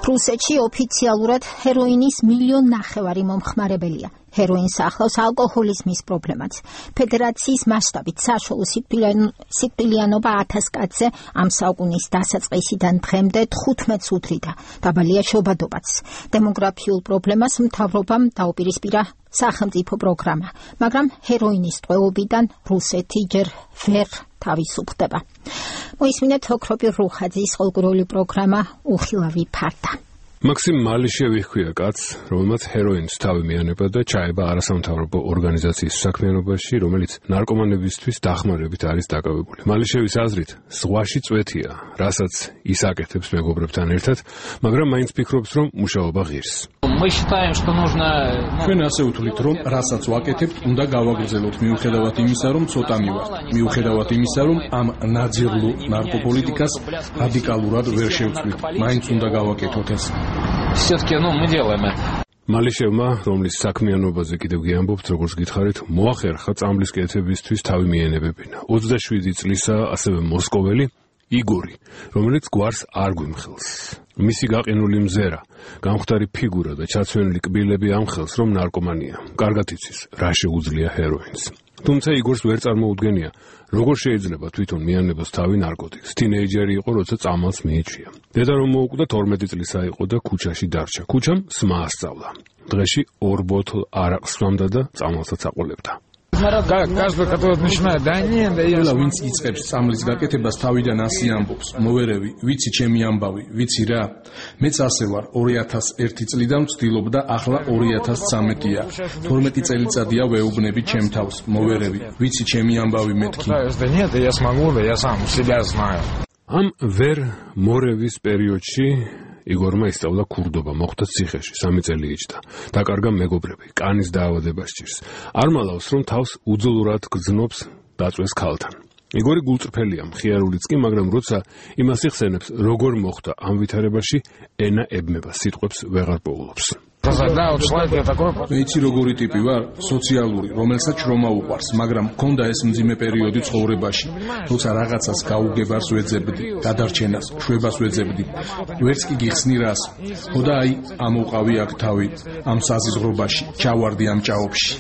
რუსეთში ოფიციალურად ჰეროინის 1,5 მილიონი მომხმარებელია. ჰეროინს ახლავს ალკოჰოლიზმის პრობლემაც. ფედერაციის მასშტაბით საშუალო სიკვდილიანობა 1000 კაცზე ამ საუკუნის დასაწყისიდან დღემდე 15-ს უდრიდა. დაბალია შობადობაც. დემოგრაფიულ პრობლემას მთავრობამ დაუპირისპირა სახელმწიფო პროგრამა, მაგრამ ჰეროინის ტყვეობიდან რუსეთი ჯერ ვერ თავისუფლდება. მოისმინეთ ოქროპირ რუხაძის ყოველკვირეული პროგრამა უხილავი ფარდა. მაქსიმ მალიშევი ჰქვია კაცს, რომელმაც ჰეროინს თავი მიანება და ჩაება არასამთავრობო ორგანიზაციის საქმიანობაში, რომელიც ნარკომანებისთვის დახმარებით არის დაკავებული. მალიშევის აზრით, ზღვაში წვეთია, რასაც ის აკეთებს მეგობრებთან ერთად, მაგრამ მაინც ფიქრობს, რომ მუშაობა ღირს. ჩვენ ასე ვთვლით, რომ რასაც ვაკეთებთ, უნდა გავაგრძელოთ მიუხედავად იმისა, რომ ცოტა მივართ, მიუხედავად იმისა, რომ ამ ნაძიрлო ნარკოპოლიტიკას რადიკალურად ვერ შევწყვით, მაინც უნდა გავაკეთოთ ეს. მალიშევმა, რომლის საქმიანობაზე კიდევ გიამბობთ, როგორც გითხარით, მოახერხა წამლის კეთებისთვის თავი მიენებებინა. 27 წლისაა ასევე მოსკოველი იგორი, რომელიც გვარს არ გვიმხელს. მისი გაყინული მზერა, გამხდარი ფიგურა და ჩაცვენილი კბილები ამხელს, რომ ნარკომანია. კარგად იცის, რა შეუძლია ჰეროინს. თუმცა იგორს ვერ წარმოუდგენია, როგორ შეიძლება თვითონ მიანებას თავი ნარკოტიკს. თინეიჯერი იყო, როცა წამალს მიეჩვია. დედა რომ მოუკვდა 12 წლისა იყო და ქუჩაში დარჩა. ქუჩამ სმა ასწავლა. დღეში 2 ბოთლ არაყს სვამდა და წამალსაც აყოლებდა. ყველა ვინც იწყებს წამლის გაკეთებას თავიდან ასე ამბობს. მოვერევი, ვიცი ჩემი ამბავი, ვიცი რა. მეც ასე ვარ 2001 წლიდან ვცდილობდა, ახლა 2013-ია. 12 წელიწადია ვეუბნები ჩემ თავს. მოვერევი, ვიცი ჩემი ამბავი მეთქი. ამ ვერ მორევის პერიოდში იგორმა ისწავლა ქურდობა, მოხვდა ციხეში, 3 წელი იჯდა. დაკარგა მეგობრები, კანის დაავადება სჭირს. არ მალავს, რომ თავს უძლურად გრძნობს დაწვეს ქალთან. იგორი გულწრფელია, მხიარულიც კი, მაგრამ როცა იმას იხსენებს, როგორ მოხვდა ამ ვითარებაში, ენა ებმება, სიტყვებს ვეღარ პოულობს. მე იცი როგორი ტიპი ვარ, სოციალური, რომელსაც შრომა უყვარს, მაგრამ მქონდა ეს მძიმე პერიოდი ცხოვრებაში, როცა რაღაცას გაუგებარს ვეძებდი, გადარჩენას, შვებას ვეძებდი. ვერც კი გიხსნი რას. ხოდა აი, ამოვყავი აქ თავი, ამ საზიზღრობაში, ჩავარდი ამ ჭაობში.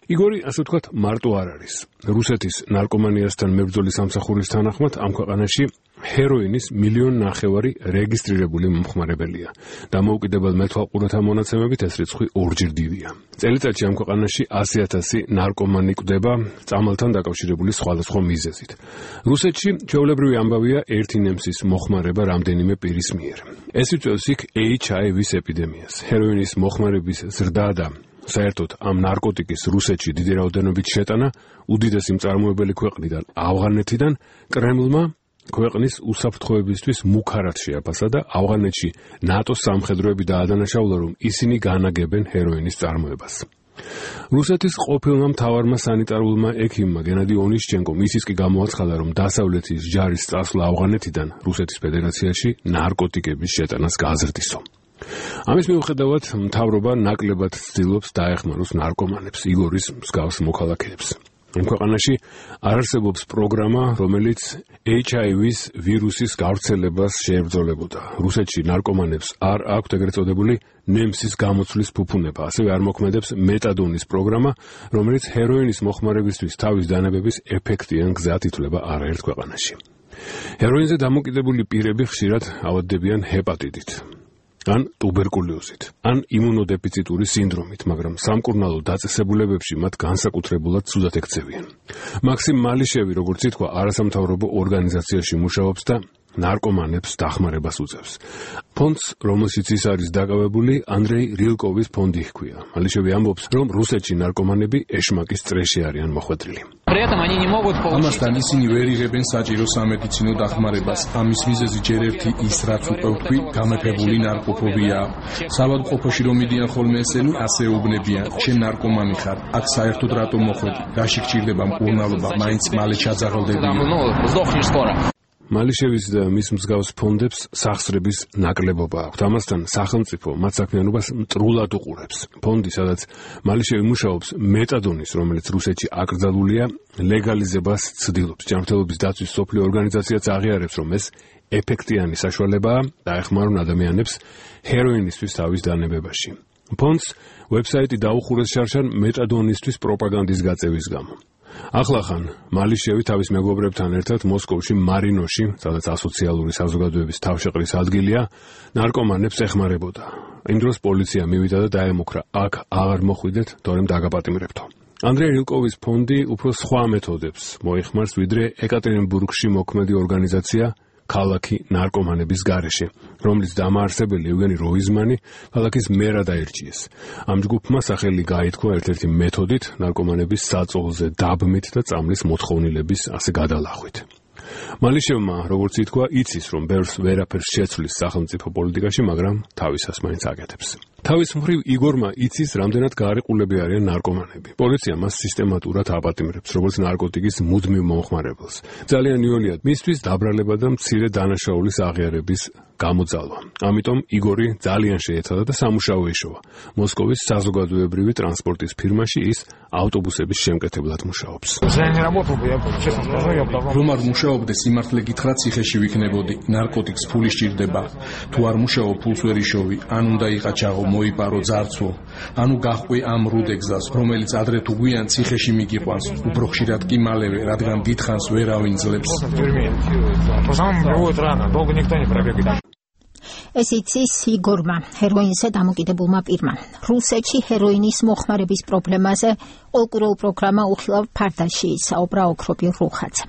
იგორი, ასე ვთქვათ, მარტო არ არის. რუსეთის ნარკომანიასთან მებრძოლის სამსახურის თანახმად ამ ქვეყანაში ჰეროინის 1,5 მილიონი რეგისტრირებული მომხმარებელია. დამოუკიდებელ მეთვალყურათა მონაცემებით ეს რიცხვი 2-ჯერ დიდია. წელიწადში ამ ქვეყანაში 100,000 ნარკომანი კვდება წამალთან დაკავშირებული სხვადასხვა მიზეზით. რუსეთში ჩვეულებრივი ამბავია ერთი ნემსის მოხმარება რამდენიმე პირის მიერ. ეს იწვევს იქ HIV-ს ეპიდემიას. ჰეროინის მოხმარების ზრდა და საერთოდ ამ ნარკოტიკის რუსეთში დიდი რაოდენობით შეტანა უდიდესი მწარმოებელი ქვეყნიდან ავღანეთიდან კრემლმა ქვეყნის უსაფრთხოებისთვის მუქარად შეაფასა და ავღანეთში ნატოს სამხედროები დაადანაშაულა, რომ ისინი განაგებენ ჰეროინის წარმოებას. რუსეთის ყოფილმა მთავარმა სანიტარულმა ექიმმა გენადი ონიშჩენკომ ისიც კი გამოაცხადა, რომ დასავლეთის ჯარის წასვლა ავღანეთიდან რუსეთის ფედერაციაში ნარკოტიკების შეტანას გააზრდისო. ამის მიუხედავად მთავრობა ნაკლებად ცდილობს დაეხმაროს ნარკომანებს, იგორის მსგავს მოქალაქეებს. ამ ქვეყანაში არ არსებობს პროგრამა, რომელიც HIV-ს ვირუსის გავრცელებას შეებრძოლებოდა. რუსეთში ნარკომანებს არ აქვთ ეგრეთ წოდებული ნემსის გამოცვლის ფუფუნება, ასევე არ მოქმედებს მეტადონის პროგრამა, რომელიც ჰეროინის მოხმარებისთვის თავის დანებების ეფექტიან გზად ითვლება არაერთ ქვეყანაში. ჰეროინზე დამოკიდებული პირები ხშირად ავადდებიან ჰეპატიტით, ან ტუბერკულოზით, ან იმუნოდეფიციტური სინდრომით, მაგრამ სამკურნალო დაწესებულებებში მათ განსაკუთრებულად ცუდად ექცევიან. მაქსიმ მალიშევი, როგორც ითქვა, არასამთავრობო ორგანიზაციაში მუშაობს და ნარკომანებს დახმარებას უწევს. ფონდს, რომელშიც ის არის დაკავებული, ანდრეი რილკოვის ფონდი ჰქვია. მალიშევი ამბობს, რომ რუსეთში ნარკომანები ეშმაკის წრეში არიან მოხვედრილი. ამასთან ისინი ვერ იღებენ საჭირო სამედიცინო დახმარებას. ამის მიზეზი ჯერ ერთი ის, რაც უკვე ვთქვი, გამეფებული ნარკოფობიაა. საბადყოფოში რომ მიდიან ხოლმე ესენი, ასე ეუბნებიან, შენ ნარკომანი ხარ, აქ საერთოდ რატომ მოხვედი? რაში გჭირდება მკურნალობა, მაინც მალე ჩაძაღლდებიან. მალიშევის და მის მსგავს ფონდებს სახსრების ნაკლებობა აქვთ. ამასთან სახელმწიფო მათ საქმიანობას მტრულად უყურებს. ფონდი, სადაც მალიშევი მუშაობს, მეტადონის, რომელიც რუსეთში აკრძალულია, ლეგალიზებას ცდილობს. ჯანმრთელობის დაცვის მსოფლიო ორგანიზაციაც აღიარებს, რომ ეს ეფექტიანი საშუალებაა დაეხმარონ ადამიანებს ჰეროინისთვის თავის დანებებაში. ფონდს ვებსაიტი დაუხურეს შარშან მეტადონისთვის პროპაგანდის გაწევის გამო. ახლახან მალიშევი თავის მეგობრებთან ერთად მოსკოვში მარინოში, სადაც ასოციალური საზოგადოების თავშეყრის ადგილია, ნარკომანებს ეხმარებოდა. იმ დროს პოლიცია მივიდა და დაემუქრა, აქ აღარ მოხვიდეთ, თორემ დაგაპატიმრებთო. ანდრეი რილკოვის ფონდი უფრო სხვა მეთოდებს მოიხმარს, ვიდრე ეკატერინბურგში მოქმედი ორგანიზაცია ქალაქი ნარკომანების გარეშე, რომლის დამაარსებელი ევგენი როიზმანი ქალაქის მერად აირჩიეს. ამ ჯგუფმა სახელი გაითქვა ერთ-ერთი მეთოდით ნარკომანების საწოლზე დაბმით და წამლის მოთხოვნილების ასე გადალახვით. მალიშევმა, როგორც ითქვა, იცის, რომ ბევრს ვერაფერს შეცვლის სახელმწიფო პოლიტიკაში, მაგრამ თავისას მაინც აკეთებს. თავის მხრივ იგორმა იცის, რამდენად გაარიყულები არიან ნარკომანები. პოლიცია მას სისტემატურად აპატიმრებს, როგორც ნარკოტიკის მუდმივ მომხმარებელს. ძალიან იოლია მისთვის დაბრალება და მცირე დანაშაულის აღიარების გამოძალვა. ამიტომ იგორი ძალიან შეეცადა და სამუშაო ეშოვა. მოსკოვის საზოგადოებრივი ტრანსპორტის ფირმაში ის ავტობუსების შემკეთებლად მუშაობს. რომ არ მუშაობდე, სიმართლე გითხრა, ციხეში ვიქნებოდი. ნარკოტიკს ფული სჭირდება. თუ არ მუშაობ, ფულს ვერ იშოვი. ან უნდა იყაჩაღო, მოიპარო ძარცვო. ანუ გახვი ამ რუდეგზას, რომელიც ადრე თუ გვიან ციხეში მიგიყვანს. უფრო ხშირად კი მალევე, რადგან დიდხანს ვერავინ ძლებს. ეს იცის იგორმა, ჰეროინზე დამოკიდებულმა პირმა. რუსეთში ჰეროინის მოხმარების პრობლემაზე ყოლკუროუ პროგრამა უხილავ ფარდაში ისაუბრა ოქრობი რუხაძე.